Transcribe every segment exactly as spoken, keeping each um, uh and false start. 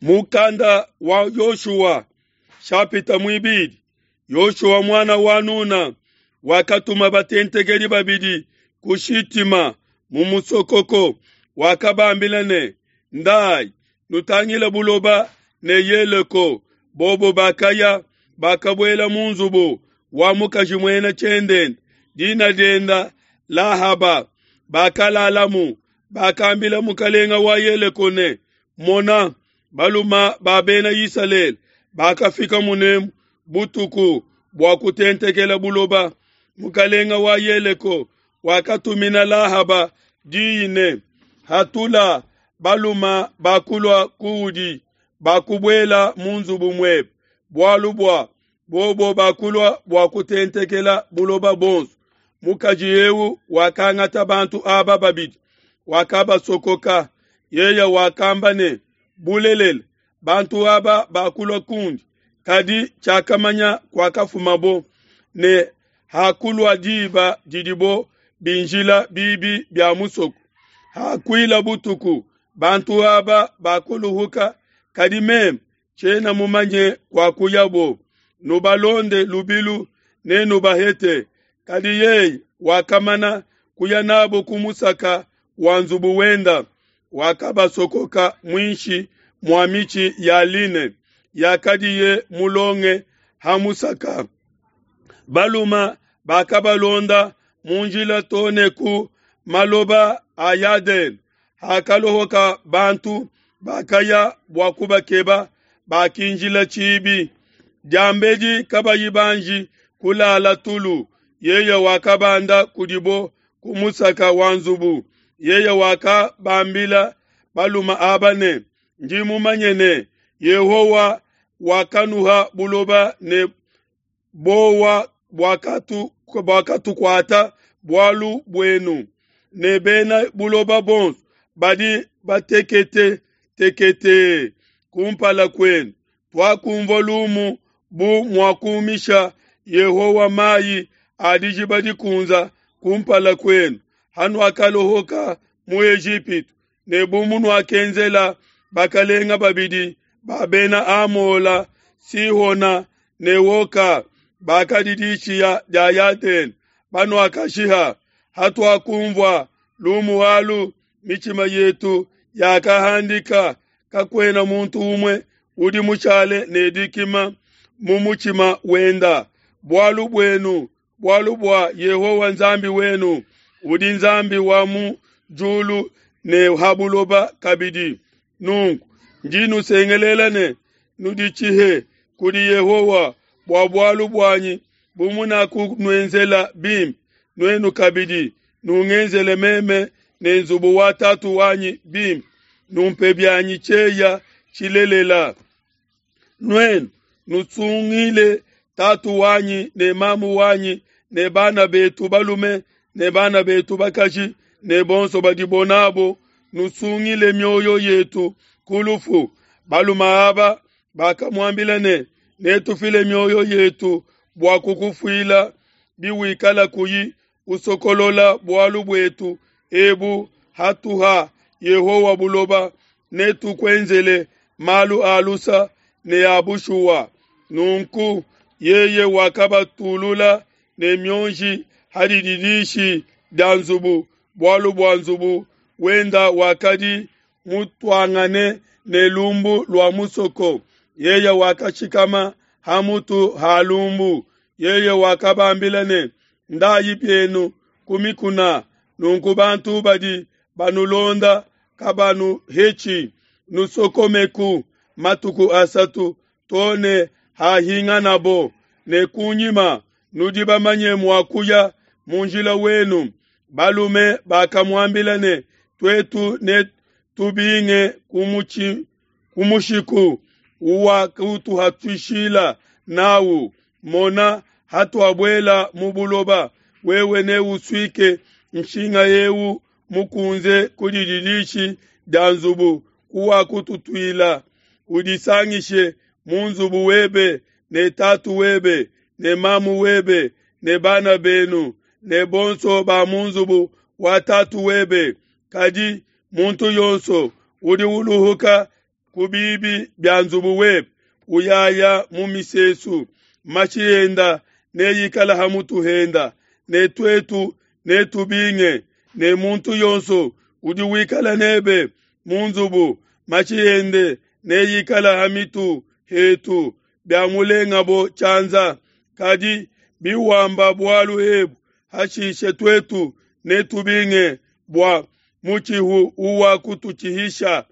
Mukanda wa Yoshua shapita muibidi Yoshua muana wa Nuna wakatuma batentekedi babidi ku Shitima mu musokoko, wakabambila ne, "Ndayi nutangile buloba ne Yeleko." Bobo bakaya, bakabuela mu nzubu wa mukaji muena tshiendenda, dina dienda Lahaba, bakalalamu. Bakambila mukalenga wa Yeleko ne, "Mona, baluma ba bena Isalele bakafika munemu butuku bua kutentekela buloba." Mukalenga wa Yeleko wakatumina Lahaba diyi ne, "Hatula baluma bakulua kuudi bakubuela mu nzubu muebe, bualu bua bobo bakulua bua kutentekela buloba bonso." Mukaji eu wakangata bantu aba babidi, wakabasokoka. Yeye wakamba ne, "Bulelela, bantu aba bakulua kundi, kadi tshiakamanya kuakafumabo, ne hakulua diba didibo binjila bibi bia musoko. Hakuila butuku, bantu aba bakuluhuka, kadi meme tshiena mumanye kuakuyabo. Nubalonde lubilu ne nubahete." Kadi yeye wakamana kuya nabo ku musaka wa nzubu wenda, wakabasokoka muinshi mua mitshi ya line yakadiye mulonge ha musaka. Baluma bakabalonda mu njila too ne ku maloba a Yadene. Hakalohoka bantu bakaya bua kubakeba, bakinjila tshibi. Diambedi kabayi banji kulala tulu, yeye wakabanda kudibo ku musaka wa nzubu. Yeye wakabambila baluma aba ne, "Ndi mumanye ne, Yehowa wakanuha buloba ne bowa buakatukuata bualu buenu, ne bena buloba bonso badi batekete tekete kumpala kuenu. Tuakumvua lumu bu muakumisha Yehowa mayi a dijiba dikunza kumpala kuenu hanuakalohoka mu Ejipitu, ne bu munuakenzela bakalenga babidi ba bena Amola, Sihona ne Oka, bakadi dishiya dia Yadene, banuakashiha. Hatuakumvua lumu alu, mitshima yetu yakahandika, kakuena muntu umue udi mushale ne dikima mu mutshima wenda bualu buenu, bualu bua Yehowa Nzambi wenu udi Nzambi wa mu diulu ne ha buloba kabidi. Nunku ndi nusengelela ne, nuditshihe kudi Yehowa bua bualu buanyi, bu munakunuenzela bimpe, nuenu kabidi nungenzele meme ne nzubu wa tatu wanyi bimpe, numpe bianyi tshieya tshilelela. Nuenu nusungile tatu wanyi ne mamu wanyi ne bana betu balume ne bana betu bakaji ne bonso badibo nabo, nusungile mioyo yetu ku lufu." Balume aba bakamuambila ne, "Netufile mioyo yetu bua kukufuila biwikala kuyi usokolola bualu buetu ebu hatuha Yehowa buloba, netukuenzele malu a lusa ne a bushuwa." Nunku yeye wakabatulula ne mionji ha dididishi dia nzubu, bualu bua nzubu wenda wakadi mutuangane ne lumbu lua musoko. Yeye wakashikama ha mutu ha lumbu. Yeye wakabambila ne, "Ndayi bienu ku mikuna, nunku bantu badi banulonda kabanuhetshi. Nusokomeku matuku asatu too ne hahinganabo, ne kunyima nudi bamanye mua kuya mu njila wenu." Balume bakamuambila ne, "Tuetu netubinge ku mushiku uwakutuhatuishila nawu. Mona, hatuabuela mu buloba, wewe neusuike nshinga eu mukunze ku dididishi dia nzubu kuwakututuila. Udisangishe mu nzubu webe ne tatu webe ne mamu webe ne bana benu ne bonso ba mu nzubu wa tatu webe. Kadi muntu yonso udi uluhuka ku bibi bia nzubu webe, uyaya mu misesu, mashi enda neikala ha mutu henda, ne tuetu netubinge, ne muntu yonso udi wikala n'ebe mu nzubu, mashi ende neikala ha mitu hetu biamulengabo tshianza. Kadi biwamba bualu ebu, hashishe tuetu netubinge bua mutshihu uwakututshihisha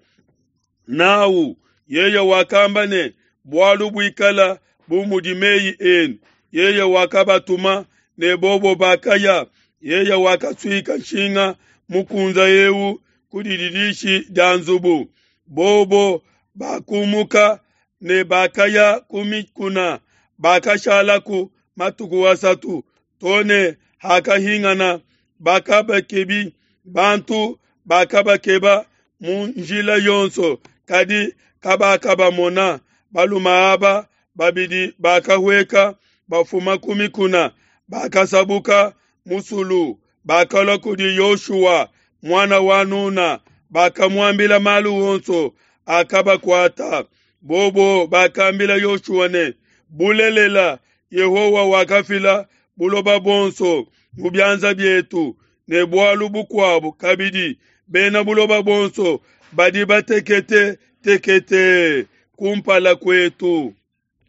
n'au. Yeye wakamba ne, Bualu buikala bu mudi mei enu. Yeye wakabatuma ne bobo bakaya. Yeye wakasuika nshinga mukunze eu ku dididishi dia nzubu. Bobo bakumuka ne bakaya ku mikuna, bakashalaku matuku asatu, to ne hakahingana bakabakebi. Bantu bakabakeba mu njila yonso, kadi kabakabamona. Balume aba babidi bakahueka bafuma ku mikuna, bakasabuka musulu, bakalua kudi Yoshua, muana wa Nuna, bakamuambila malu onso akabakuata. Bobo bakambila Yoshua ne, Bulelela, Yehowa wakafila buloba buonso mu bianza bietu, ne bualu bukuabo kabidi, bena buloba bonso badi batekete tekete kumpala kuetu.